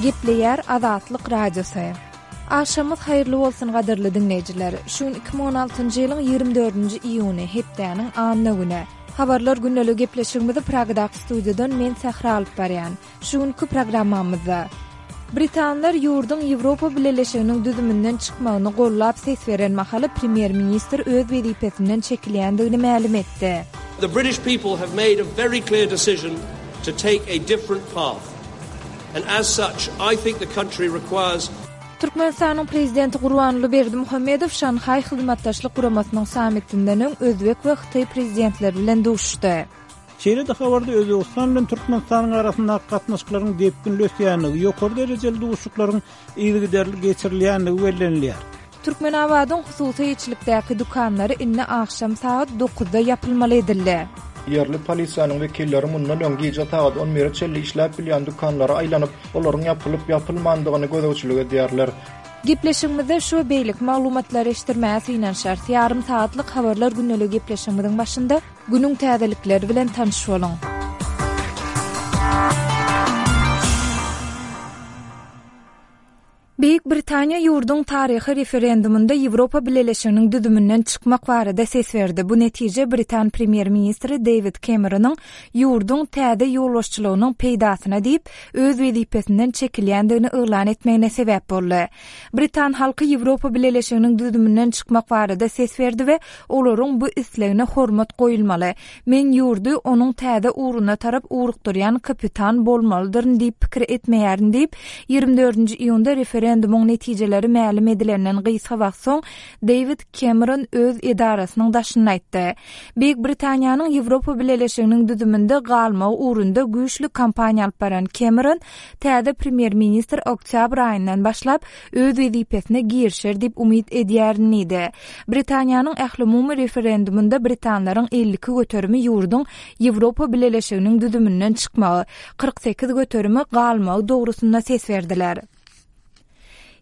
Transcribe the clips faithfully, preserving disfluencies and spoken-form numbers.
Gepleýär Azatlyk Radiosy. Agşamyňyz haýyrly bolsun gadyrly diňleýjiler. Şu gün iki müň on altynjy ýylyň ýigrimi dördünji iýuny, hepdäniň anna güni. Habarlar gündelik gepleşigimizi Pragadaky studiýadan men Sähra alyp barýan. Şu günki programmamyzda Britanlar ýurduň Ýewropa Bileleşiginiň düzüminden çykmagyny gollap ses beren mahaly premýer-ministr öz wezipesinden çekilýändigini mälim etdi. The British people have made a very clear decision to take a different path. And as such, I think the country requires Türkmenistanyň Prezidenti Gurbanguly Berdimuhamedow Şanhaý Hyzmatdaşlyk Guramasynyň sammitinden öň özbek we hytaý prezidentleri bilen duşuşdy. Şeýle-de habarda Özbegistan bilen Türkmenistanyň arasyndaky gatnaşyklaryň depginli ösýändigi, ýokary derejeli duşuşyklaryň yzygiderli geçirilýändigi bellenilýär. Türkmenabadyň hususy eýeçilikdäki dükanlary indi agşam sagat dokuzda ýapylmaly edildi. Ýerli polisiýanyň wekilleri mundan öň gije sagat on bire çenli işläp bilýän dükanlara aýlanyp, olaryň ýapylyp-ýapylmandygyny gözegçilik edýärler. Gepleşigimizde şu we beýleki maglumatlary eşitdirmäge synanyşarys. Ýarym sagatlyk habarlar gündelik gepleşigimiziň başynda günüň täzelikleri bilen tanyş boluň. Beýik Britaniýa ýurduň taryhy referendumynda Ýewropa Bileleşiginiň düzüminden çykmak barada ses berdi. Bu netije britan premýer-ministri Dewid Kemeronyň ýurduň täze ýolbaşçylygynyň peýdasyna diýip, öz wezipesinden çekilýändigini yglan etmegine sebäp boldy. Britan halky Ýewropa Bileleşiginiň düzüminden çykmak barada ses berdi we olaryň bu islegine hormat goýulmaly. Men ýurdy onuň täze ugruna tarap ugrukdyrýan kapitan bolmalydyryn diýip pikir etmeýärin diýip, ýigrimi dördünji iýunda referendumyň netijeleri mälim edilenden gysga wagt soň Dewid Kemeron öz edarasynyň daşynda aýtdy. Beýik Britaniýanyň Ýewropa Bileleşiginiň düzüminde galmagy ugrunda güýçli kampaniýa alyp baran Kemeron täze premýer-ministr oktýabr aýyndan başlap öz wezipesine girişer diýip umyt edýärin diýdi. Britaniýanyň ählumumy referendumynda britanlaryň elli iki göterimi ýurduň Ýewropa Bileleşiginiň düzüminden çykmagy, kyrk sekiz göterimi galmagy dogrusynda ses berdiler.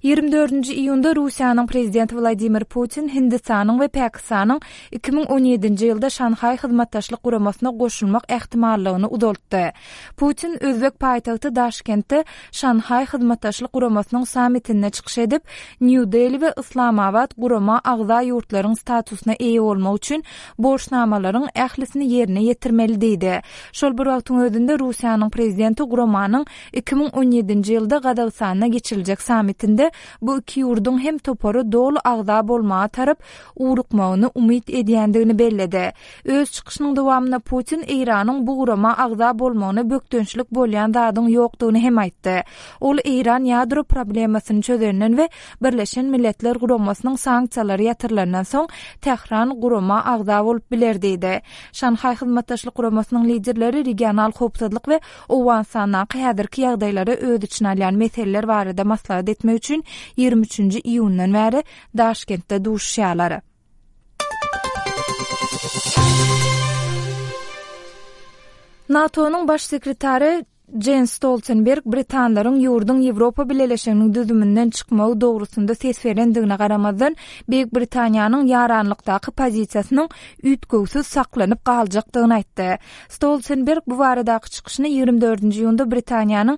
Ýigrimi dördünji iýunda Russiýanyň prezidenti Wladimir Putin Hindistanyň we Pakistanyň iki müň on ýedinji ýylda Şanhaý Hyzmatdaşlyk Guramasyna goşulmak ähtimallygyny uzaltdy. Putin özbek paýtagty Daşkentde Şanhaý Hyzmatdaşlyk Guramasynyň sammitinde çykyş edip, Nýu-Deli we Yslamabat gurama agza ýurtlaryň statusyna eýe bolmak üçin borçnamalaryň ählisini ýerine ýetirmeli diýdi. Şol bir wagtyň özünde Russiýanyň prezidenti guramanyň iki müň on ýedinji ýylda Gazagystanda geçiriljek sammitinde bu iki ýurduň hem topara doly agza bolmaga tarap ugrukmagyny umyt edýändigini belledi. Öz çykyşynyň dowamynda Putin Eýranyň bu gurama agza bolmagyna bökdençlik bolýan zadyň ýokdugyny hem aýtdy. Ol Eýran ýadro problemasyny çözenden we Birleşen Milletler Guramasynyň sanksiýalary ýatyrylandan soň Tähran gurama agza bolup biler diýdi. Şanhaý Hyzmatdaşlyk Guramasynyň liderleri regional howpsuzlyk we Owganystandaky häzirki ýagdaýlary öz içine alýan meseleler barada maslahat etmek üçin ýigrimi üçünji iýundan bäri Daşkentde duşuşýarlar. NATO-nyň baş sekretary Jens Stoltenberg britanlaryň ýurduň Ýewropa Bileleşiginiň düzüminden çykmagy dogrusynda ses berendigine garamazdan, Beýik Britaniýanyň ýaranlykdaky pozisiýasynyň üýtgewsiz saklanyp galjakdygyny aýtdy. Stoltenberg bu baradaky çykyşyny ýigrimi dördünji iýunda Britaniýanyň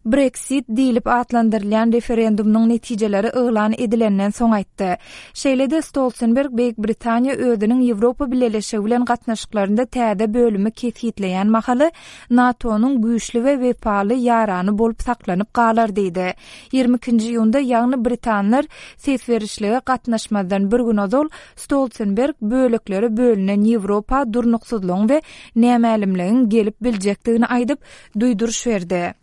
Brexit diýlip atlandyrylýan referendumynyň netijeleri yglan edilenden soň aýtdy. Şeýle-de Stoltenberg Beýik Britaniýa özüniň Ýewropa Bileleşigi bilen gatnaşyklarynda täze bölümi kesgitleýän mahaly NATO-nyň güýçli we wepaly ýarany bolup saklanyp galar diýdi. Ýigrimi ikinji iýunda, ýagny britanlar ses berişlige gatnaşmazdan bir gün ozal Stoltenberg böleklere bölünen Ýewropa durnuksyzlygyň we nämälimligiň gelip biljekdigini aýdyp, duýduryş berdi.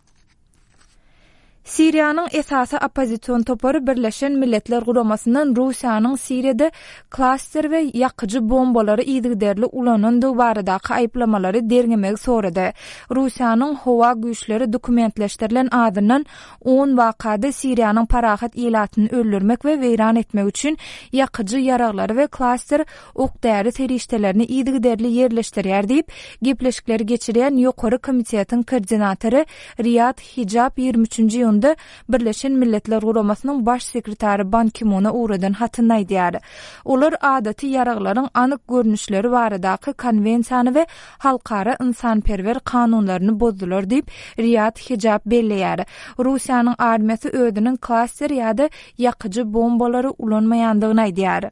Siriýanyň esasy oppozision topary Birleşen Milletler Guramasyndan Russiýanyň Siriýada klaster we ýakyjy bombalary yzygiderli ulanandygy baradaky aýyplamalary derňemegi sorady. Russiýanyň howa güýçleri dokumentleşdirilen azyndan on wakada Siriýanyň parahat ilatyny öldürmek we weýran etmek üçin ýakyjy ýaraglary we klaster ok-däri serişdelerini yzygiderli ýerleşdirýär diýip, gepleşikleri geçirýän Ýokary komitetiň koordinatory Riýad Hijab ýigrimi üçünji iýunda iýunda Birleşen Milletler Guramasynyň Baş sekretary Ban Ki-muna ugradan hatynda aýdýar. Olar adaty ýaraglaryň anyk görnüşleri baradaky konwensiýany we halkara ynsanperwer kanunlaryny bozdular diýip, Riýad Hijab belleýär. Russiýanyň armiýasy özüniň klaster ýa-da ýakyjy bombalary ulanmaýandygyny aýdýar.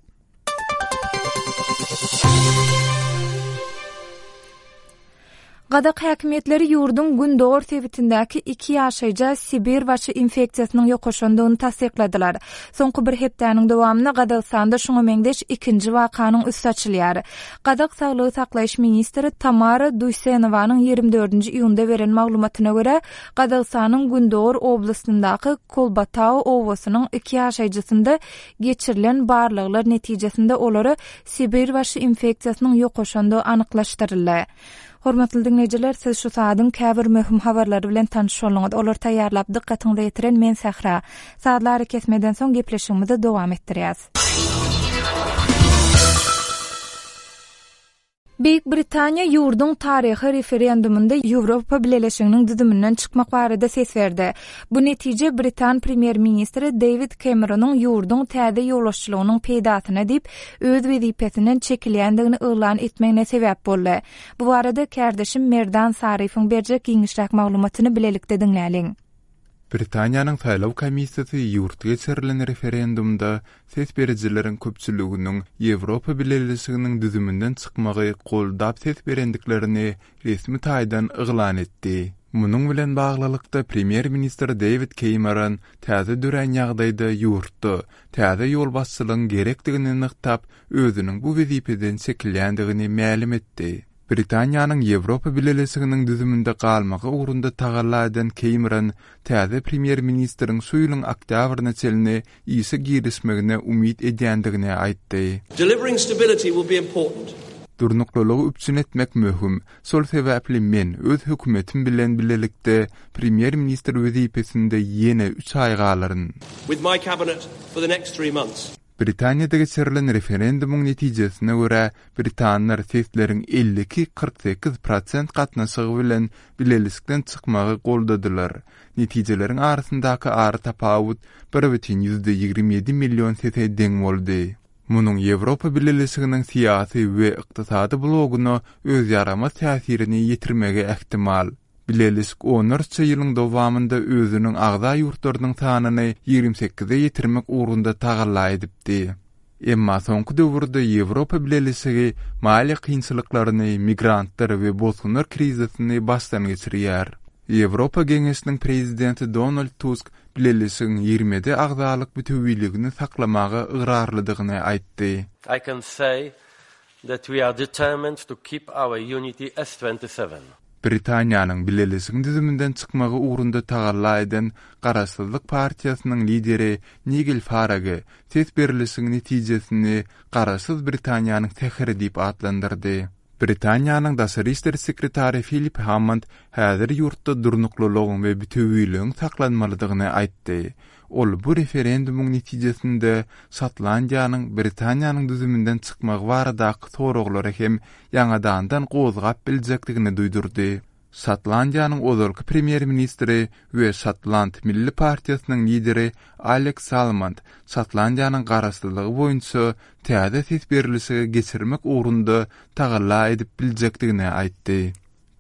Gazak häkimiýetleri ýurduň gündogar sebitindäki iki ýaşaýja Sibir waçy infeksiýasynyň ýokaşandygyny tassykladylar. Soňky bir hepdäniň dowamynda Gazagystanda şuňa meňzeş ikinji wakanyň üsti açylýar. Gazak saglygy saklaýyş ministri Tamara Duýsenowanyň ýigrimi dördünji iýunda beren maglumatyna görä, Gazagystanyň gündogar oblastyndaky Kolbatau obasynyň iki ýaşaýjysynda geçirilen barlaglar netijesinde olara Sibirbaşy infeksiýasynyň ýokaşandygy anyklaşdyryldy. Hormatly diňleýjiler, siz şu saadyň käbir möhüm habarlary bilen tanyş bolduňyz. Olary taýýarlap, dykgatyňyza ýetiren men Sähra. Sazly arakesmeden soň gepleşigimizi dowam etdirýäs. Beýik Britaniýa ýurduň taryhy referendumynda Ýewropa Bileleşiginiň düzüminden çykmak barada ses berdi. Bu netije britan premýer-ministri Deýwid Kemeronyň ýurduň täze ýolbaşçylygynyň peýdasyna diýip, öz wezipesinden çekilýändigini yglan etmegine sebäp boldy. Bu barada kärdeşim Merdan Saryýewiň berjek giňişräk maglumatyny bilelikde diňläliň. Britaniýanyň saýlaw komissiýasy ýurtda geçirilen referendumda ses berijileriň köpçüliginiň Ýewropa Bileleşiginiň düzüminden çykmagy goldap ses berendiklerini resmi taýdan yglan etdi. Munuň bilen baglylykda, premýer-ministr Deýwid Keýmeron täze dörän ýagdaýda ýurtda täze ýolbaşçylygyň gerekdigini nygtap, özüniň bu wezipeden çekilýändigini mälim etdi. Britaniýanyň Ýewropa Bileleşiginiň düzüminde galmagy ugrunda tagalla eden Keýmeron täze premýer-ministriň şu ýylyň oktýabryna çenli işe girişmegine umyt edýändigini aýtdy. Delivering stability will be important. Durnuklylygy üpjün etmek möhüm. Şol sebäpli men öz hökümetim bilen bilelikde premýer-ministr wezipesinde ýene üç aý galaryn. With my cabinet for the next three months. Britaniýada geçirilen referendumyň netijesine görä, britanlar sesleriň elli iki, kyrk sekiz prosent gatnaşygy bilen bileleşikden çykmagy goldadylar. Netijeleriň arasyndaky aratapawut bir bütin ýüzde ýigrimi ýedi million sese deň boldy. Munuň Ýewropa Bileleşiginiň syýasy we ykdysady bloguna öz ýaramaz täsirini ýetirmegi ähtimal. Bileleşik onlarça ýylyň dowamynda özüniň agza ýurtlarynyň sanyny ýigrimi sekize ýetirmek ugrunda tagalla edipdi. Emma soňky döwürde Ýewropa Bileleşigi maliýe kynçylyklaryny, migrantlar we bosgunlar krizisini başdan geçirýär. Ýewropa Geňeşiniň prezidenti Donald Tusk Bileleşigiň ýigrimi ýedi agzalyk bütewiligini saklamaga ygrarlydygyny aýtdy. I can say that we are determined to keep our unity as twenty seven. Britaniýanyň Bileleşigiň düzüminden çykmagy ugrunda tagalla eden Garaşsyzlyk partiýasynyň lideri Nigel Farage ses berlişigiň netijesini Garaşsyz Britaniýanyň säheri diýip atlandyrdy. Britaniýanyň daşary işler sekretary Filip Hammond häzir ýurtda durnuklylygyň we bütewiligiň saklanmalydygyny aýtdy. Ol bu referendumyň netijesinde Şotlandiýanyň Britaniýanyň düzüminden çykmagy baradaky soraglary hem ýaňadandan gozgap biljekdigini duýdurdy. Şotlandiýanyň ozalky premýer-ministri we Şotland milli partiýasynyň lideri Aleks Salmond Şotlandiýanyň garaşsyzlygy boýunça täze ses berlişigi geçirmek ugrunda tagalla edip biljekdigini aýtdy.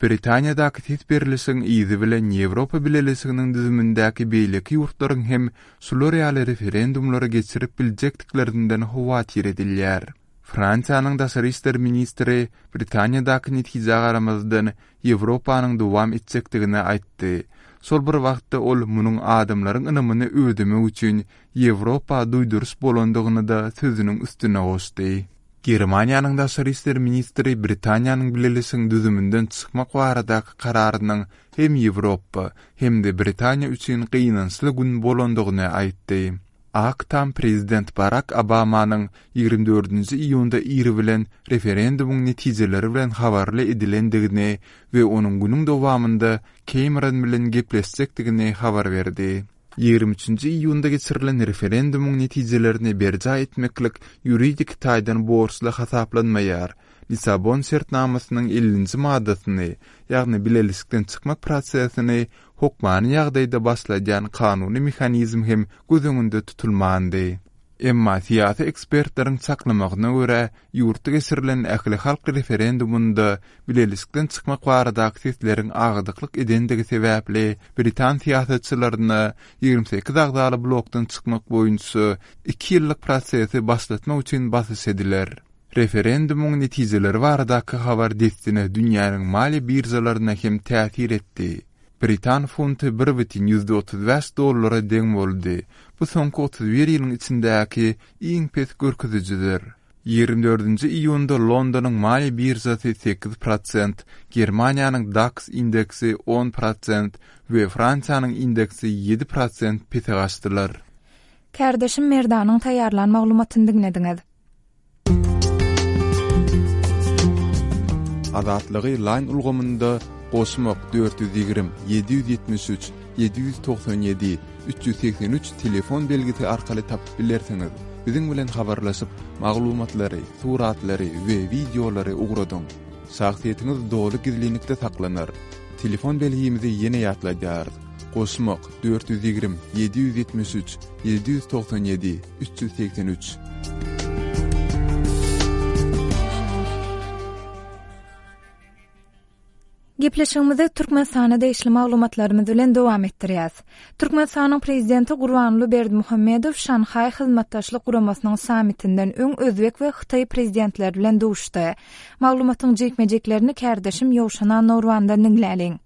Britaniýadaky ses berlişigiň yzy bilen Ýewropa Bileleşiginiň düzümindäki beýleki ýurtlaryň hem şular ýaly referendumlary geçirip biljekdiklerinden howatyr edilýär. Fransiýanyň daşary işler ministri Britaniýadaky netijä garamazdan Ýewropanyň dowam etjekdigini aýtdy. Şol bir wagtda ol munuň adamlaryň ynamyny ödemek üçin Ýewropa duýduryş bolandygyny-da sözüniň üstüne goşdy. Germaniýanyň daşary işler ministri Britaniýanyň bileleşigiň düzüminden çykmak baradaky kararynyň hem Ýewropa, hem-de Britaniýa üçin gynançly gün bolandygyny aýtdy. Ak Tam prezident Barak Obamanyň ýigrimi dördünji iýunda ir bilen referendumyň netijeleri bilen habarly edilendigini we onuň günüň dowamynda Kemeron bilen gepleşjekdigini habar berdi. Ýigrimi üçünji iýunda geçirilen referendumyň netijelerini berjaý etmeklik ýuridik taýdan borçly hasaplanmaýar. Lissabon şertnamasynyň ellinji maddasyny, ýagny bileleşikden çykmak prosesini hokmany ýagdaýda başladýan kanuny mehanizm hem göz öňünde tutulmandy. Emma syýasy ekspertleriň çaklamagyna görä, ýurtda geçirilen ählihalk referendumynda bileleşikden çykmak baradaky sesleriň agdyklyk edendigi sebäpli britan syýasatçylaryna ýigrimi sekiz agzaly blokdan çykmak boýunça iki ýyllyk prosesi başlatmak üçin basyş ediler. Referendumyň netijeleri baradaky habar dessine dünýäniň maliýe biržalaryna hem täsir etdi. Britan funty bir bütin ýüzde otuz bäş dollara deň boldy. Bu soňky otuz bir ýylyň içindäki iň pes görkezijidir. Ýigrimi dördünji iýunda Londonyň maliýe biržasy sekiz prosent, Germaniýanyň DAX indeksi on prosent we Fransiýanyň indeksi ýedi prosent pese gaçdylar. Kärdeşim Merdanyň taýýarlan maglumatyny diňlediňiz. Azatlygy Line ulgamynda goşmak dört ýüz ýigrimi, ýedi ýüz ýetmiş üç, ýedi ýüz togsan ýedi, üç ýüz segsen üç telefon belgisi arkaly tapyp bilersiňiz. Biziň bilen habarlaşyp, maglumatlary, suratlary we wideolary ugradyň. Şahsyýetiňiz doly gizlinlikde saklanar. Telefon belgimizi ýene ýatladýarys. Goşmak dört ýüz ýigrimi, ýedi ýüz ýetmiş üç, ýedi ýüz togsan ýedi, üç ýüz segsen üç. Gepleşigimizi Türkmenistana degişli maglumatlarymyz bilen dowam etdirýäs. Türkmenistanyň prezidenti Gurbanguly Berdimuhamedow Şanhaý Hyzmatdaşlyk Guramasynyň sammitinden öň Özbek we Hytaý prezidentleri bilen duşdy. Maglumatyň jikme-jiklerini kärdeşim Ýowşan Annorwandan diňläliň.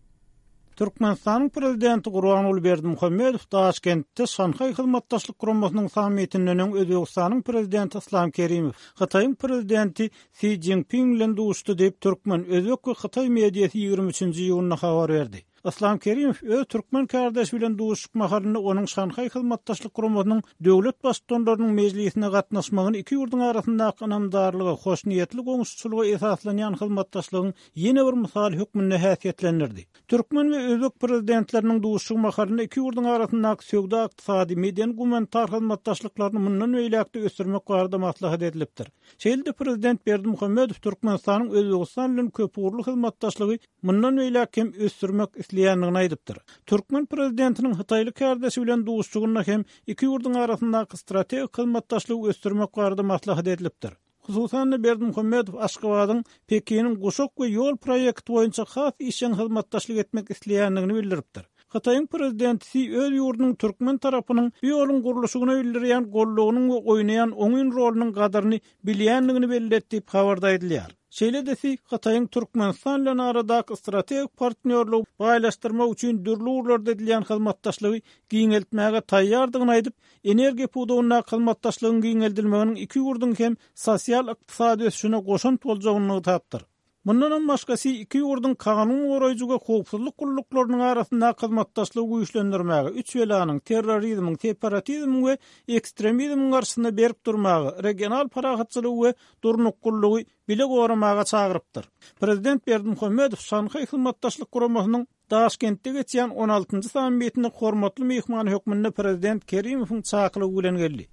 Türkmenistanyň prezidenti Gurbanguly Berdimuhamedow Daşkentde Şanhaý Hyzmatdaşlyk Guramasynyň sammitinden öň Özbegistanyň prezidenti Islam Kerimow, Hytaýyň prezidenti Si Jinping bilen duşdy diýip türkmen, özbek we hytaý mediasy ýigrimi üçünji iýunda habar berdi. Islam Kerimow öz türkmen kardeşi bilen duşuşyk mahalynda onuň Şanhaý Hyzmatdaşlyk Guramasynyň döwlet baştutanlarynyň mejlisine gatnaşmagyny iki ýurduň arasyndaky ynamdarlyga, hoşniýetli goňşuçylyga esaslanýan hyzmatdaşlygyň ýene bir mysaly hökmünde häsiýetlendirdi. Türkmen we özbek prezidentleriniň duşuşygy mahalynda iki ýurduň arasyndaky söwda, ykdysady, medeni-gumanitar hyzmatdaşlyklaryny mundan beýläk-de ösdürmek barada maslahat edilipdir. Şeýle-de prezident Berdimuhamedow Türkmenistanyň Özbegistan bilen köpugurly hyzmatdaşlygy mundan beýläk hem ösdürmek isleýändigini aýdypdyr. Türkmen prezidentiniň Hytaýly kardeşi bilen duşuşygynda hem iki ýurduň arasyndaky strategik hyzmatdaşlygy ösdürmek barada maslahat edilipdir. Hususan-da Berdimuhamedow Aşgabadyň Pekiniň guşak we ýol proýekti boýunça has işjeň hyzmatdaşlyk etmek isleýändigini bildiripdir. Hytaýyň prezidenti Si öz ýurdunyň türkmen tarapynyň bu ýoluň gurluşygyna bildirýän gollugynyň we oýnaýan oňyn rolunyň gadyryny bilýändigini belli etdi diýip habarda aýdylýar. Şeýle-de Si Hytaýyň Türkmenistan bilen aradaky strategik partnýorlygy baýlaşdyrmak üçin dürli ugurlarda edilýän hyzmatdaşlygy giňeltmäge taýýardygyny aýdyp, energiýa pudagyndaky hyzmatdaşlygyň giňeldilmeginiň iki ýurduň hem sosial-ykdysady ösüşine goşant boljagyny nygtapdyr. Mundan hem başga Si iki ýurduň kanun goraýjy we howpsuzlyk gulluklarynyň arasyndaky hyzmatdaşlygy güýçlendirmäge, üç belanyň, terrorizmiň, separatizmiň we ekstremizmiň garşysynda berk durmaga, regional parahatçylygy we durnuklylygy bile goramaga çagyrypdyr. Prezident Berdimuhamedow Şanhaý Hyzmatdaşlyk Guramasynyň Daşkentde geçýän on altynjy sammitinde hormatly myhman hökmünde prezident Kerimowyň çakylygy bilen geldi.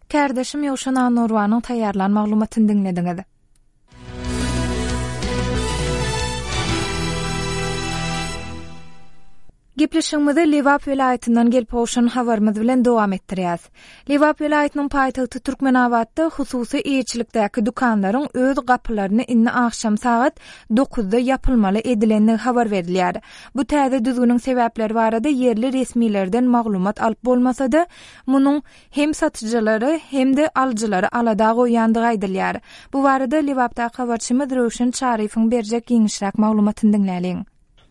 Kärdeşim Ýowşan Annorwanyň taýýarlan maglumatyny diňlediňiz. Gepleşigimizi Lebap welaýatyndan gelip gowşan habarymyz bilen dowam etdirýäs. Lebap welaýatynyň paýtagty Türkmenabatda hususy eýeçilikdäki dükanlaryň öz gapylaryny indi agşam sagat dokuzda ýapylmaly edilendigi habar berilýär. Bu täze düzgüniň sebäpleri barada ýerli resmilerden maglumat alyp bolmasa-da, munuň hem satyjylary hem-de alyjylary alada goýýandygy aýdylýar. Bu barada Lebapdaky habarçymyz Röwşen Çaryýewiň berjek giňişräk maglumatyny diňläliň.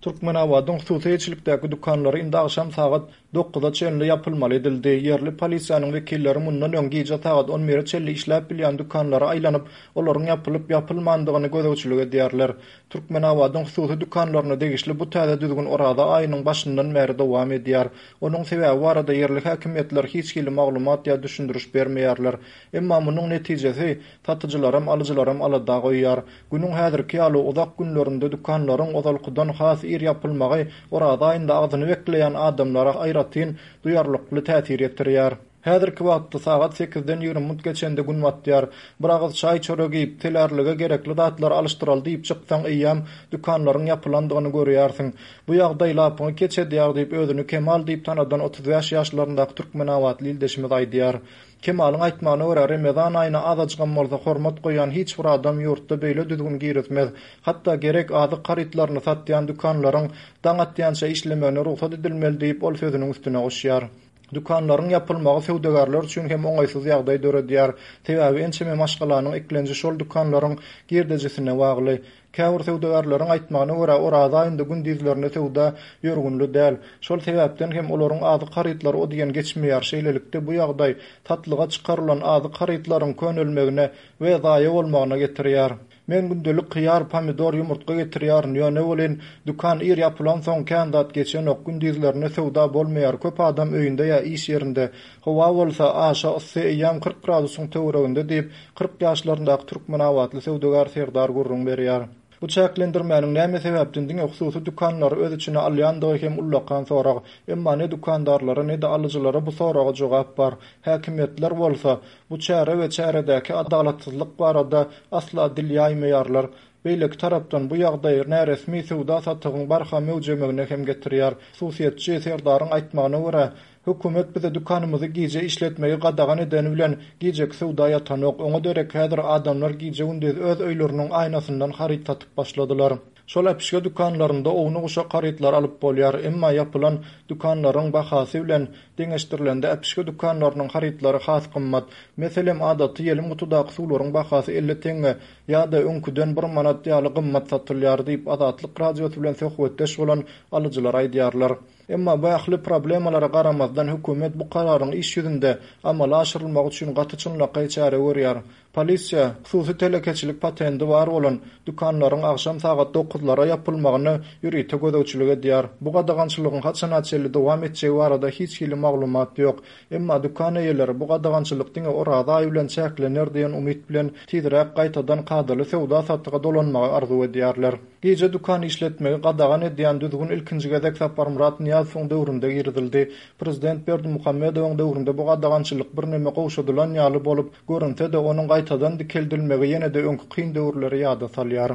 Türkmenabadyň hususy eýeçilikdäki dükanlary indi agşam sagat dokuza çenli ýapylmaly edildi. Ýerli polisiýanyň wekilleri mundan öň gije sagat on bire çenli işläp bilýän dükanlara aýlanyp, olaryň ýapylyp ýapylmandygyny gözegçilik edýärler. Türkmenabadyň hususy dükanlaryna degişli bu täze düzgün Oraza aýynyň başyndan bäri dowam edýär. Onuň sebäbi barada ýerli häkimiýetler hiç hili maglumat ýa düşündiriş bermeýärler. Emma munuň netijesi satyjylaram, alyjylaram alada goýýar. Günüň häzirki ýaly uzak günlerinde dükanlaryň ozalkydan has ir ýapylmagy Oraza aýynda agzyny bekleýän adamlara aýratyn duýarlykly täsir ýetirýär. Häzirki wagtda sagat sekizden ýigrimi minut geçende gün batýar. Bir agyz çaý-çörek iýip, telärlige gerekli zatlary alyşdyraly diýip çyksaň eýýäm dükanlaryň ýapylandygyny görýärsiň. Bu ýagdaý lapyňy keç edýär diýip özüni Kemal diýip tanadan otuz bäş ýaşlaryndaky türkmenabatly ildeşimiz aýdýar. Kemalyň aýtmagyna görä, Remezan aýyna azajygam bolsa hormat goýýan hiç bir adam ýurtda beýle düzgün girizmez. Hatda gerek azyk harytlaryny satýan dükanlaryň daň atýança işlemegine rugsat edilmeli diýip, ol sözüniň üstüne goşýar. Dükanlaryň ýapylmagy söwdagärler üçin hem oňaýsyz ýagdaý döredýär. Sebäbi ençeme maşgalanyň eklenji şol dükanlaryň girdejisine bagly. Käbir söwdagärleriň aýtmagyna görä, Oraza aýynda gündizlerine söwda ýörgünli däl. Şol sebäpden hem olaryň azyk harytlary o diýen geçmeýär. Şeýlelikde, bu ýagdaý satlyga çykarylan azyk harytlaryň könelmegine we zaýa bolmagyna getirýär. Men gündelik hyýar, pomidor, ýumurtga getirýärin, ýöne welin dükan ir ýapylansoň kän zat geçenok, gündizlerine söwda bolmaýar, köp adam öýünde ýa iş ýerinde. Howa bolsa aşa yssy, eýýäm kyrk gradusyň töwereginde diýip, kyrk ýaşlaryndaky türkmenabatly söwdagär Serdar gürrüň berýär. Bu çäklendirmäniň näme sebäpden diňe hususy dükanlary öz içine alýandygy hem ullakan sorag. Emma ne dükandarlara ne-de alyjylara bu soraga jogap bar. Häkimiýetler bolsa bu çäre we çäredäki adalatsyzlyk barada asla dil ýaýmaýarlar. Beýleki tarapdan bu ýagdaý näresmi söwda satygyň barha möwjemegine hem getirýär. Hususyýetçi Serdaryň aýtmagyna görä, hökümet bize dükanymyzy gije işletmegi gadagan edeni bilen gijeki söwda ýatanok. Oňa derek häzir adamlar gije-gündiz öz öýleriniň aýnasyndan haryt satyp başladylar. Şol äpişge dükanlarynda ownuk uşak harytlar alyp bolýar, emma ýapylan dükanlaryň bahasy bilen deňeşdirilende äpişge dükanlarynyň harytlary has gymmat. Meselem, adaty ýelim gutudaky suwlaryň bahasy elli teňňe ýa-da öňküden bir manat ýaly gymmat satylýar diýip Azatlyk Radiosy bilen söhbetdeş bolan alyjylar aýdýarlar. Emma bu ähli problemalara garamazdan hökümet bu kararyň iş ýüzünde amala aşyrylmagy üçin gaty çynlakaý çäre görýär. Polisiýa hususy telekeçilik patendi bar bolan dükanlaryň agşam sagat dokuzlara ýapylmagyny ýörite gözegçilik edýär. Bu gadagançylygyň haçana çenli dowam etjegi barada hiç hili maglumat ýok. Emma dükan eýeleri bu gadagançylyk diňe Oraza aýy bilen çäklener diýen umyt bilen tizräk gaýtadan kadaly söwda satyga dolanmagy arzuw edýärler. Gije dükan işletmegi gadagan edýän düzgün ilkinji gezek Saparmyrat Nyýazowyň döwründe girizildi. Prezident Berdimuhamedowyň döwründe bu gadagançylyk birneme gowşadylan ýaly bolup görünse-de onuň gaýtadan dikeldilmegi ýene-de öňki kyn döwürleri ýada salýar.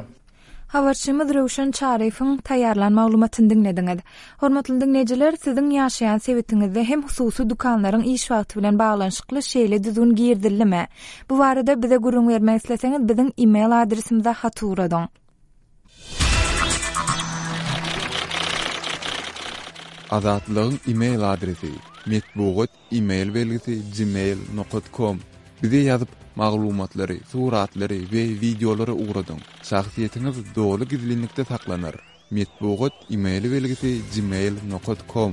Habarçymyz Röwşen Çaryýewiň taýýarlan maglumatyny diňlediňiz. Hormatly diňleýjiler, siziň ýaşaýan sebitiňizde hem hususy dükanlaryň iş wagty bilen baglanyşykly şeýle düzgün girizildimi? Bu barada bize gürrüň bermek isleseňiz, biziň e-mail adresimize hat ugradyň. Azatlygyň e-mail adresi metbugat e-mail belgisi gmail nokta com. Bize ýazyp maglumatlary, suratlary we wideolary ugradyň. Şahsyýetiňiz doly gizlinlikde saklanar. Metbugat e-mail belgisi gmail nokta com.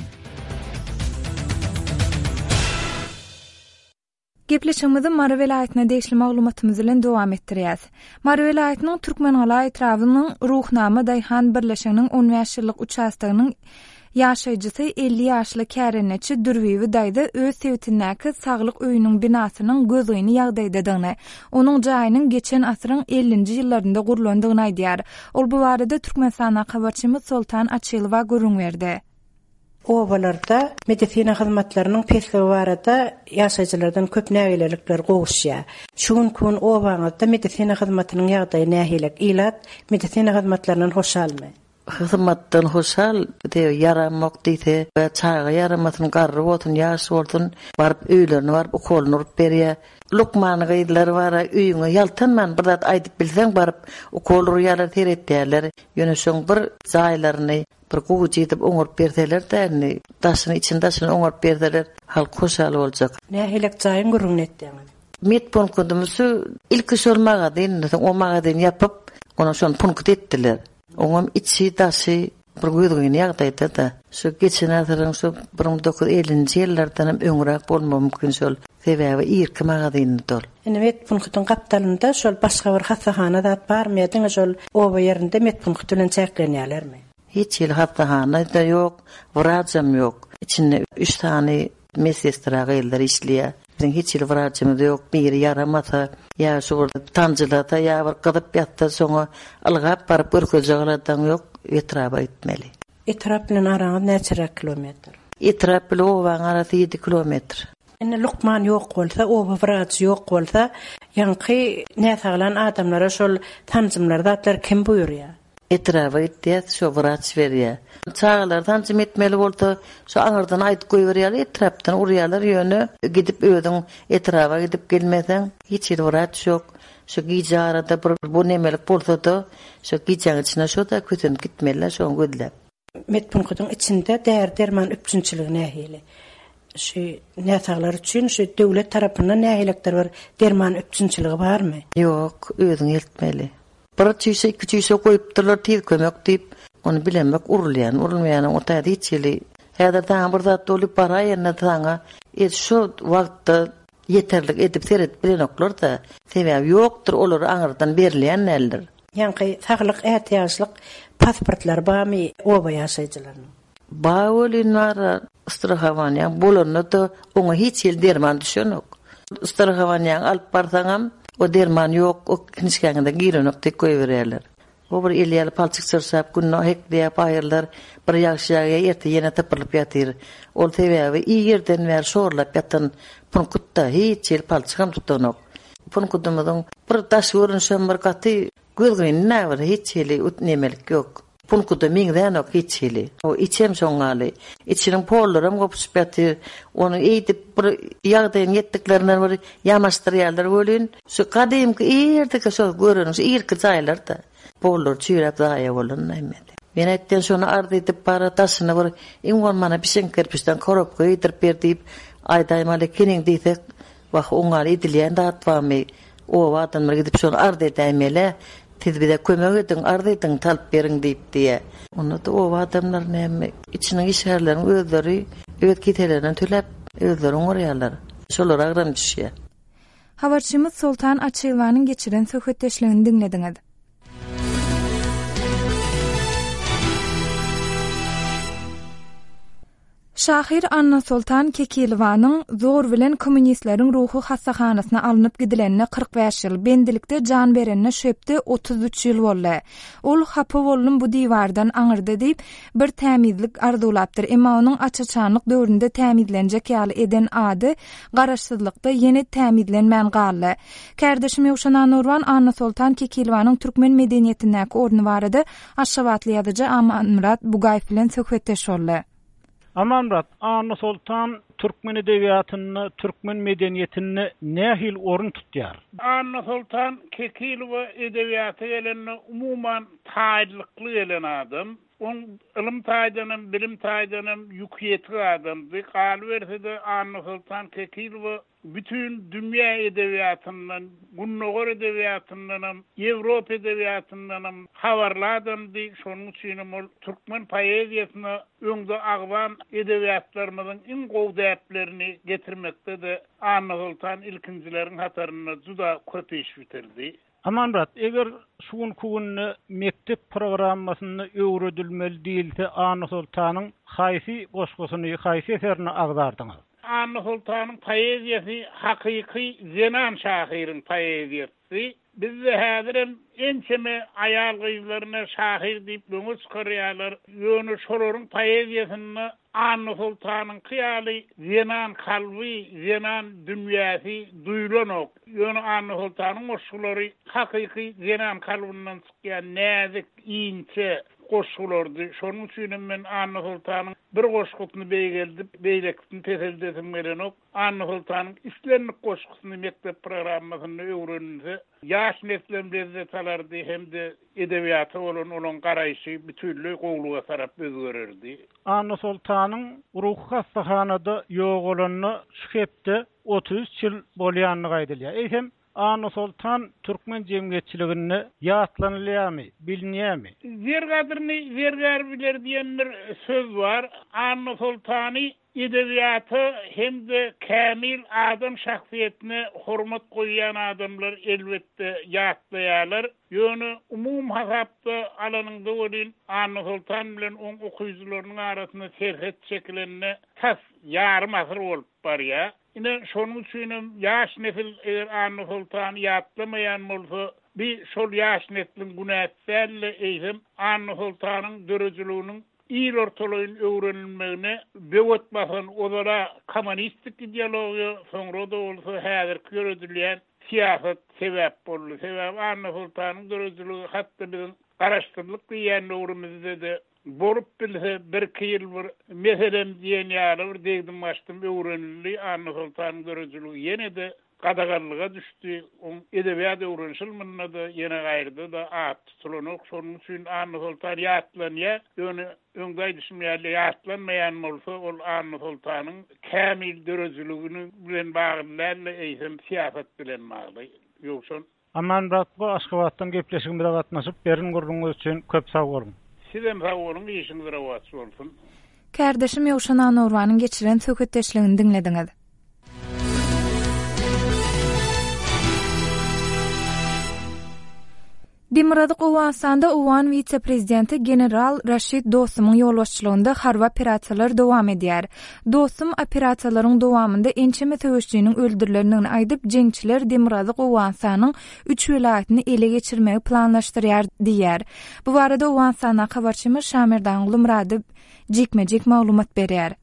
Gepleşigimizi Mary welaýatyna degişli maglumatymyz bilen dowam etdirýäs. Mary welaýatynyň Türkmengala etrabynyň Ruhnama Daýhan birleşiginiň on bäş ýyllyk uçastogynyň ýaşaýjysy elli ýaşly kärendeçi Dürbibi daýza öz sebitindäki saglyk öýüniň binasynyň gözgyny ýagdaýdadygyny, onuň jaýynyň geçen asyryň ellinji ýyllarynda gurlandygyny aýdýar. Ol bu barada Türkmenistandaky habarçymyz Soltan Açylowa gürrüň berdi. Obalarda medisina hyzmatlarynyň pesligi barada ýaşaýjylardan köp nägilelikler gowuşýar. Şu günki gün obaňyzda medisina hyzmatynyň ýagdaýy nähili? Ilat medisina hyzmatlaryndan hoşalmy? Hyzmatdan hoşal, diýe, ýaramok diýse, we çaga ýaramasyn, garry bolsun, ýaş bolsun, baryp öýlerine baryp ukolyny urup berýär. Lukman gyzlar bar, öýüňe ýaltanman bir zat aýdyp bilseň baryp ukol urýarlar, seretýärler. Ýöne şoň bir jaýlaryny bir gowy edip oňaryp berseler däni, daşyny, içini daşyny oňaryp berseler, halk hoşal boljak. Nähili jaýyň gürrüňini etdiňiz? Met punktymyz şu ilki şol magazin, soň o magazin ýapyp, onuň şony punkt etdiler. Oňam içi daşy bir gözgyny ýagdaýda da. Şu geçen asyryň şu bir müň dokuz ýüz ellinji ýyllardan hem öňräk bolmagy mümkin şol. Sebäbi irki magazinli dol. Indi met punktyň gapdalynda şol başga bir hassahana zat barmy ýa diňe şol oba ýerinde met punkty bilen çäklenýärlermi? Hiç hili hassahana da ýok, wracam ýok. İçinde üç sany medsestra gyzlar işleýär. Biziň hiç hili wracymyz ýok. Biri ýaramasa, ýa şu bir tanjylasa, ýa bir gyzyp ýatsa, soňa ylgap baryp görkezjek aladan ýok, etraba gitmeli. Etrap bilen araňyz näçeräk kilometr? Etrap bilen obaň arasy ýedi kilometr. Indi lukman ýok bolsa, oba wraçy ýok bolsa, ýaňky näsaglan adamlara şol sanjymlar zatlar kim buýurýar? Etraba gitýär, şo wraç berýär. Çagalar sanjym etmeli bolsa, şo aňyrdan aýdyp goýberýärler, etrapdan urýarlar, ýöne gidip özüň etraba gidip gelmeseň, hiç ýerde wraç ýok. Şo gije arada bir bu nemelik bolsa-da, şo gijäň içinde şo-da kösenip gitmeliler, şoň gözläp. Medpunkyň içinde däri-derman üpjünçiligi nähili? Şu näsaglar üçin şu döwlet tarapyndan nähilekdir bir derman üpjünçiligi barmy? Ýok, özüň eltmeli. Bir çüýşe, iki çüýşe goýupdyrlar tiz kömek diýip, ony bilemek urulýan, urulmaýan o taýda hiç hili. Häzir saňa bir zat bolup baraýanda saňa e, şu wagtda ýeterlik edip seredip bilenoklar-da, sebäbi ýokdur, olar aňyrdan berilýän däldir. Ýaňky saglyk ätiýaçlyk pasportlary barmy oba ýaşaýjylarynyň? Ba welin bar, strahowanýaň bolanda-da oňa hiç hili derman düşenok. Strahowanýaň alyp barsaňam, o derman ýok, o kinişkäňde girenok diýip goýberýärler. O bir el ýaly palçyk çyrşap, gününe hekleýär baýyrlar, bir ýagşy ýagýar, erte ýene tapylyp ýatyr. Ol sebäbi iyi ýerden bäri şorlap ýatan punkutda hiç hili palçyk hem tutanok. Punkudymyzyň bir daş görnüşem bir gaty gözgyny näbir hiç hili nemelik ýok. Punkuda meňzänok hiç hili. O içem şoňňaly. Içiniň pollaram gopuşyp ýatyr. Ony eýdip bir ýagdaýyň ýetdiklerinden bir ýamaşdyrýarlar welin, şu gadymky ýerdeki şo göreniň şu irki jaýlarda pollar çüýräp zaýa bolan näme. Men aýtdym şony arz edip bara daşyny bir iň bolmana bişen kerpiçden korobka geýdirip ber diýip aýdaýmaly keniň diýsek, wah oňňaly edilýän zat barmy? Oba adamlar gidip şony arz edäýmeli. Siz bize kömek ediň, arz ediň, talyp beriň diýip diýe. Onda da oba adamlar näme içiniň işgärleriň özleri öz kiselerinden töläp özleri oňarýarlar. Şolar agram düşýär. Habarçymyz Soltan Açylwanyň geçiren söhbetdeşligini diňlediňiz. Şahyr Annasoltan Kekilowanyň zor bilen kommunistleriň ruhy hassahanasyna alnyp gidilenine kyrk bäş ýyl, bendilikde jan berenine şu hepde otuz üç ýyl boldy. Ol hapa boldum bu diwardan aňyrda diýip bir tämizlik arzuwlapdyr. Emma onuň açaçanlyk döwründe tämizlenjek ýaly eden ady garaşsyzlykda ýene tämizlenmän galdy. Kärdeşim Ýowşan Anurwan Annasoltan Kekilowanyň türkmen medeniýetindäki orny barada Aşgabatly ýazyjy Amanmyrat Bugaýew bilen söhbetdeş boldy. Amanmyrat, Annasoltan türkmen edebiýatynda, türkmen medeniýetinde nähili orun tutýar? Annasoltan Kekilowa edebiýata gelende umuman taýlykly gelen adam. On ylym taýdanam, bilim taýdanam ýük ýetik adamdy. Galyberse-de Annasoltan Kekilowa bütün dünýä edebiýatyndan, Gündogar edebiýatyndanam, Ýewropa edebiýatyndanam habarly adamdy. Şonuň üçin hem ol türkmen poeziýasyna öňde agzan edebiýatlarymyzyň iň gowy däplerini getirmekde-de Annasoltan ilkinjileriň hatarynda juda köp iş bitirdi. Amanmyrat, eger şu günkü günde mekdep programmasynda öwredilmeli diýilse, Annasoltanyň haýsy goşgusyny, haýsy eserini agzardyňyz? Annasoltanyň poeziýasy hakyky zenan şahyryň poeziýasy. Bizde häzirem ençeme aýal gyzlaryna şahyr diýip öňe çykarýarlar. Ýöne şolaryň poeziýasynda Annasoltanyňky ýaly zenan kalby, zenan dünýäsi duýulanok. Ýöne Annasoltanyň goşgulary hakyky zenan kalbyndan çykýan näzik, inçe goşgulardy. Şonuň üçin hem men Annasoltanyň bir goşgusyny beýgeldip, beýlekisini peseldesim gelenok. Annasoltanyň islendik goşgusyny mekdep programmasynda öwrenilse, ýaş neslem lezzet alardy hem-de edebiýata bolan onuň garaýşy bütünleý gowluga tarap özgererdi. Annasoltanyň ruhy hassahanada ýogalanyna şu hepde otuz üç ýyl bolýandygy aýdylýar. Eýsem Annasoltan türkmen jemgyýetçiliginde ýatlanylýarmy, bilinýärmi? Zer gadryny zergär biler diýen bir söz bar. Annasoltany edebiýata hem-de kämil adam şahsyýetine hormat goýýan adamlar elbetde ýatlaýarlar. Ýöne umum hasapda alanyňda welin Annasoltan bilen oň okyjylarynyň arasynda serhet çekilende tas ýarym asyr bolup barýar. Ine şonuň üçin hem ýaş nesil eger Annasoltany ýatlamaýan bolsa, bir şol ýaş nesliň günäsi däl-de, eýsem Annasoltanyň döredijiliginiň il ortalaýyn öwrenilmegine böwet basan ozala kommunistik ideologiýa, soňra da bolsa häzirki ýöredilýän syýasat sebäp boldy. Sebäp Annasoltanyň döredijiligi hatda biziň garaşsyzlyk diýen döwrümizde-de bolup bilse bir-iki ýyl bir meselem diýen ýaly bir degdim gaçdym öwrenildi. Annasoltanyň döredijiligi ýene-de gadaganlyga düşdi. Oň edebiýat öwreniş ylmynda-da ýene gaýryda-da at tutulanok. Şonuň üçin Annasoltan ýatlanýar. Ýöne öňde aýdyşym ýaly ýatlanmaýan bolsa ol Annasoltanyň kämil döredijiligini bilen bagly däl-de, eýsem syýasat bilen bagly. Ýowşan. Amanmyrat bu Aşgabatdan gepleşigimize gatnaşyp berin gürrüňiňiz üçin köp sag boluň. Sizem sag boluň, işiňiz rowaç bolsun. Kärdeşim Ýowşan Anorbanyň geçiren söhbetdeşligini diňlediňiz. Demirgazyk Owganystanda Owgan wise-prezidenti general Raşid Dostumyň ýolbaşçylygynda harby operasiýalar dowam edýär. Dostum operasiýalaryň dowamynda ençeme söweşçiniň öldürilendigini aýdyp, jeňçiler Demirgazyk Owganystanyň üç welaýatyny ele geçirmegi planlaşdyrýar diýýär. Bu barada Owganystandaky habarçymyz Şamerdan Gulumyrady jikme-jik maglumat berýär.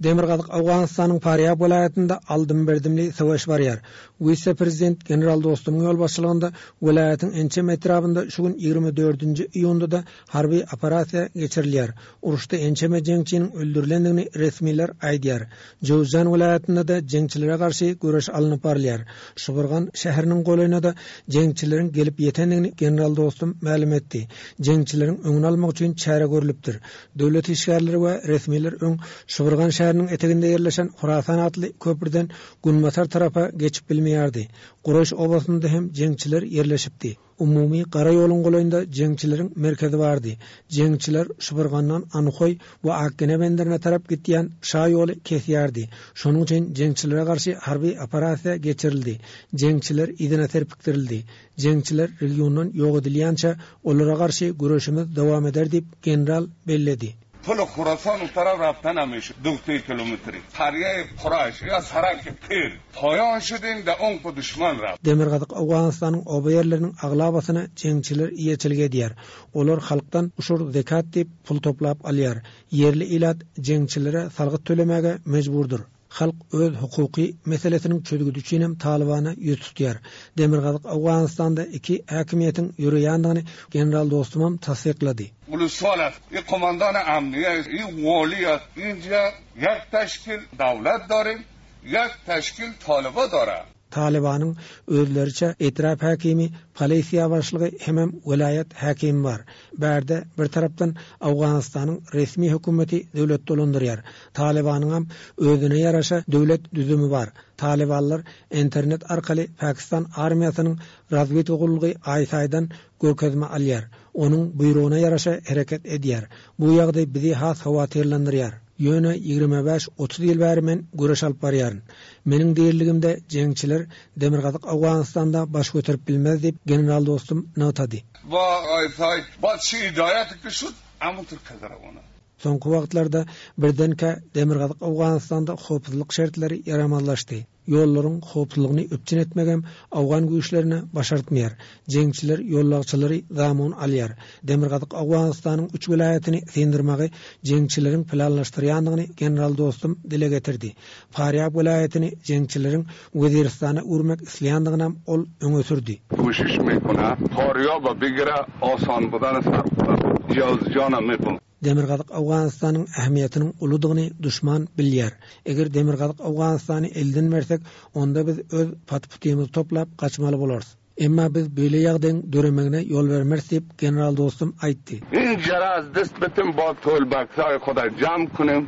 Demirgazyk Owganystanyň Farýab welaýatynda aldym-berdimli söweş barýar. Wise-prezident general Dostumyň ýolbaşçylygynda welaýatyň ençeme etrabynda şu gün ýigrimi dördünji iýunda-da harby operasiýa geçirilýär. Uruşda ençeme jeňçiniň öldürilendigini resmiler aýdýar. Jowzjan welaýatynda-da jeňçilere garşy göreş alnyp barylýar. Şuburgan şäheriniň golaýyna-da jeňçileriň gelip ýetendigini general Dostum mälim etdi. Jeňçileriň öňüni almak üçin çäre görülipdir. Döwlet işgärleri we resmiler öň Şuburgan şäheriniň eteginde ýerleşen Hurasan atly köprüden günbatar tarapa geçip bilmeýärdi. Guraş obasynda hem jeňçiler ýerleşipdi. Umumy gara ýoluň golaýynda jeňçileriň merkezi bardy. Jeňçiler Şuburgandan Anhoý we Akgene benderine tarap gitýän şa ýoly kesýärdi. Şonuň üçin jeňçilere garşy harby operasiýa geçirildi. Jeňçiler yzyna serpikdirildi. Jeňçiler regiondan ýok edilýänçe olara garşy göreşimiz dowam eder diýip general belledi. Pul Hurasan taraf raftan amış dokuz kilometri. Qariye Qurayş ya Sarak Pir. Poyan şudin da on ku düşman raf. Demirgazyk Owganystanyň oba ýerleriniň aglabasyna jeňçiler eýeçilik edýär. Olar halkdan uşur zekat diýip pul toplap alýar. Ýerli ilat jeňçilere salgyt tölemäge mejburdyr. Halk öz hukuky meselesiniň çözgüdi üçin hem Talibana ýüz tutýar. Demirgazyk Owganystanda iki häkimiýetiň ýöreýändigini general Dostumam tassyklady. Ulusal i komandan amniye i wali inja yak teşkil dawlat darim yak teşkil taliba dara. Talibanyň özleriçe etrap häkimi, polisiýa başlygy hemem welaýat häkimi bar. Bärde bir tarapdan Owganystanyň resmi hökümeti döwlet dolandyrýar. Talibanyň hem özüne ýaraşa döwlet düzümi bar. Talibanlar internet arkaly Pakistan armiýasynyň razwedka gullugy aý-saýdan görkezme alýar. Onuň buýrugyna ýaraşa hereket edýär. Bu ýagdaý bizi has howatyrlandyrýar. Ýöne ýigrimi bäş otuz ýyl bäri men göreş alyp barýaryn. Meniň diriligimde jeňçiler Demirgazyk Owganystanda baş göterip bilmez diýip general dostum nygtady. Ba aý-saý, ba çi hidayet kişut, amu türkadara ona. Soňky wagtlarda birdenkä Demirgazyk Owganystanda howpsuzlyk şertleri ýaramazlaşdy. Ýollaryň howpsuzlygyny üpjün etmegem Owgan güýçlerine başartmaýar. Jeňçiler ýollagçylary zamun alýar. Demirgazyk Owganystanyň üç welaýatyny syndirmegi jeňçileriň planlaşdyrýandygyny general dostum dile getirdi. Farýab welaýatyny jeňçileriň Weziristana urmak isleýändigini ol öňe sürdi. Kuşiş mekuna, Farýaba bigira osan budan sarpda, Jowzjana mekun. Demirgazyk Owganystanyň ähmiýetiniň uludygyny düşman bilýär. Eger Demirgazyk Owganystany elden bersek, onda biz öz patputymyzy toplap gaçmaly bolarys. Emma biz beýle ýagdaýyň döremegine ýol bermeris diýip general dostum aýtdy. In jaraz dest bitim ba tol baksaý Hudaý jam kunim.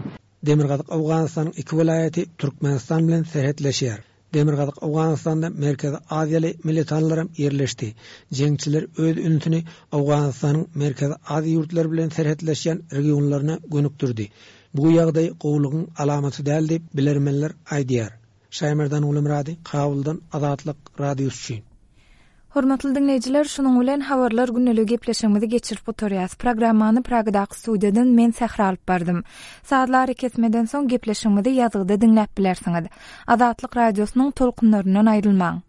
Demirgazyk Owganystanyň iki welaýaty Türkmenistan bilen serhetleşýär. Demirgazyk Owganystanda Merkezi Aziýaly militanlaram ýerleşdi. Jeňçiler öz ünsüni Owganystanyň Merkezi Aziýa ýurtlary bilen serhetleşýän regionlaryna gönükdirdi. Bu ýagdaý gowlugyň alamaty däl diýip bilermenler aýdýar. Şaýmerdan Gulumyrady, Kabuldan Azatlyk Radiosy üçin. Hormatly dinleýjiler, şunuň bilen habarlar günlük gepleşigimizi geçirip gutarýas. Programmany Pragadaky studiýadan men Sähra alyp bardym. Sazlary kesmeden soň gepleşigimizi ýazgyda diňläp bilersiňiz. Azatlyk Radiosynyň tolkunlaryndan aýrylmaň.